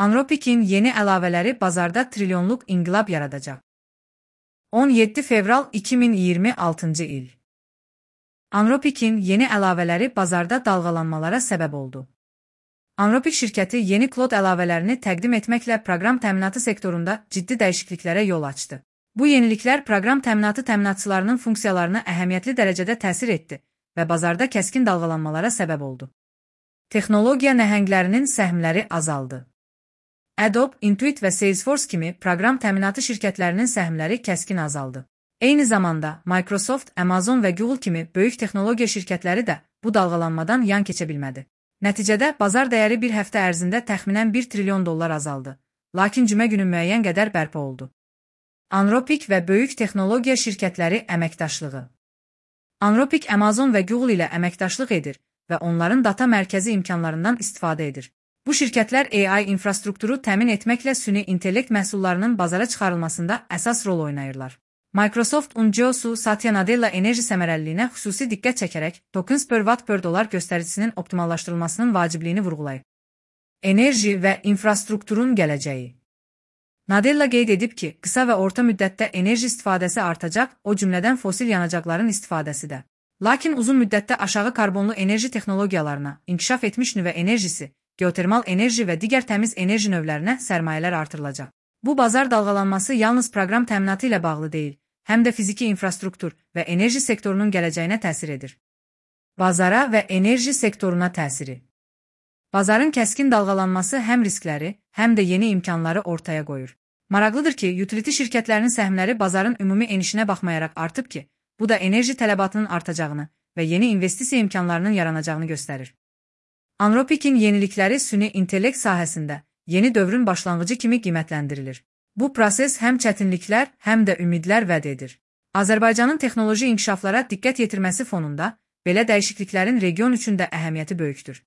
Anthropic'in yeni əlavələri bazarda trilyonluq inqilab yaradacaq. 17 fevral 2026 il. Anthropic'in yeni əlavələri bazarda dalğalanmalara səbəb oldu. Anthropic şirkəti yeni Claude əlavələrini təqdim etməklə proqram təminatı sektorunda ciddi dəyişikliklərə yol açdı. Bu yeniliklər proqram təminatı təminatçılarının funksiyalarına əhəmiyyətli dərəcədə təsir etdi və bazarda kəskin dalğalanmalara səbəb oldu. Texnologiya nəhənglərinin səhmləri azaldı. Adobe, Intuit və Salesforce kimi proqram təminatı şirkətlərinin səhmləri kəskin azaldı. Eyni zamanda Microsoft, Amazon və Google kimi böyük texnologiya şirkətləri də bu dalğalanmadan yan keçə bilmədi. Nəticədə bazar dəyəri bir həftə ərzində təxminən $1 trilyon azaldı, lakin cümə günü müəyyən qədər bərpa oldu. Anthropic və böyük texnologiya şirkətləri əməkdaşlığı. Anthropic Amazon və Google ilə əməkdaşlıq edir və onların data mərkəzi imkanlarından istifadə edir. Bu şirkətlər AI infrastrukturu təmin etməklə süni intellekt məhsullarının bazara çıxarılmasında əsas rol oynayırlar. Microsoft CEO Satya Nadella enerji səmərəliliyinə xüsusi diqqət çəkərək tokens per watt per dollar göstəricisinin optimallaşdırılmasının vacibliyini vurğulayıb. Enerji və infrastrukturun gələcəyi. Nadella qeyd edib ki, qısa və orta müddətdə enerji istifadəsi artacaq, o cümlədən fosil yanacaqların istifadəsi də. Lakin uzun müddətdə aşağı karbonlu enerji texnologiyalarına, inkişaf etmiş nüvə enerjisi, geotermal enerji və digər təmiz enerji növlərinə sərmayələr artırılacaq. Bu bazar dalğalanması yalnız proqram təminatı ilə bağlı deyil, həm də fiziki infrastruktur və enerji sektorunun gələcəyinə təsir edir. Bazara və enerji sektoruna təsiri. Bazarın kəskin dalğalanması həm riskləri, həm də yeni imkanları ortaya qoyur. Maraqlıdır ki, utility şirkətlərinin səhmləri bazarın ümumi enişinə baxmayaraq artıb ki, bu da enerji tələbatının artacağını və yeni investisiya imkanlarının yaranacağını göstərir. Anthropic'in yenilikləri süni intellekt sahəsində yeni dövrün başlanğıcı kimi qiymətləndirilir. Bu proses həm çətinliklər, həm də ümidlər vəd edir. Azərbaycanın texnoloji inkişaflara diqqət yetirməsi fonunda belə dəyişikliklərin region üçün də əhəmiyyəti böyükdür.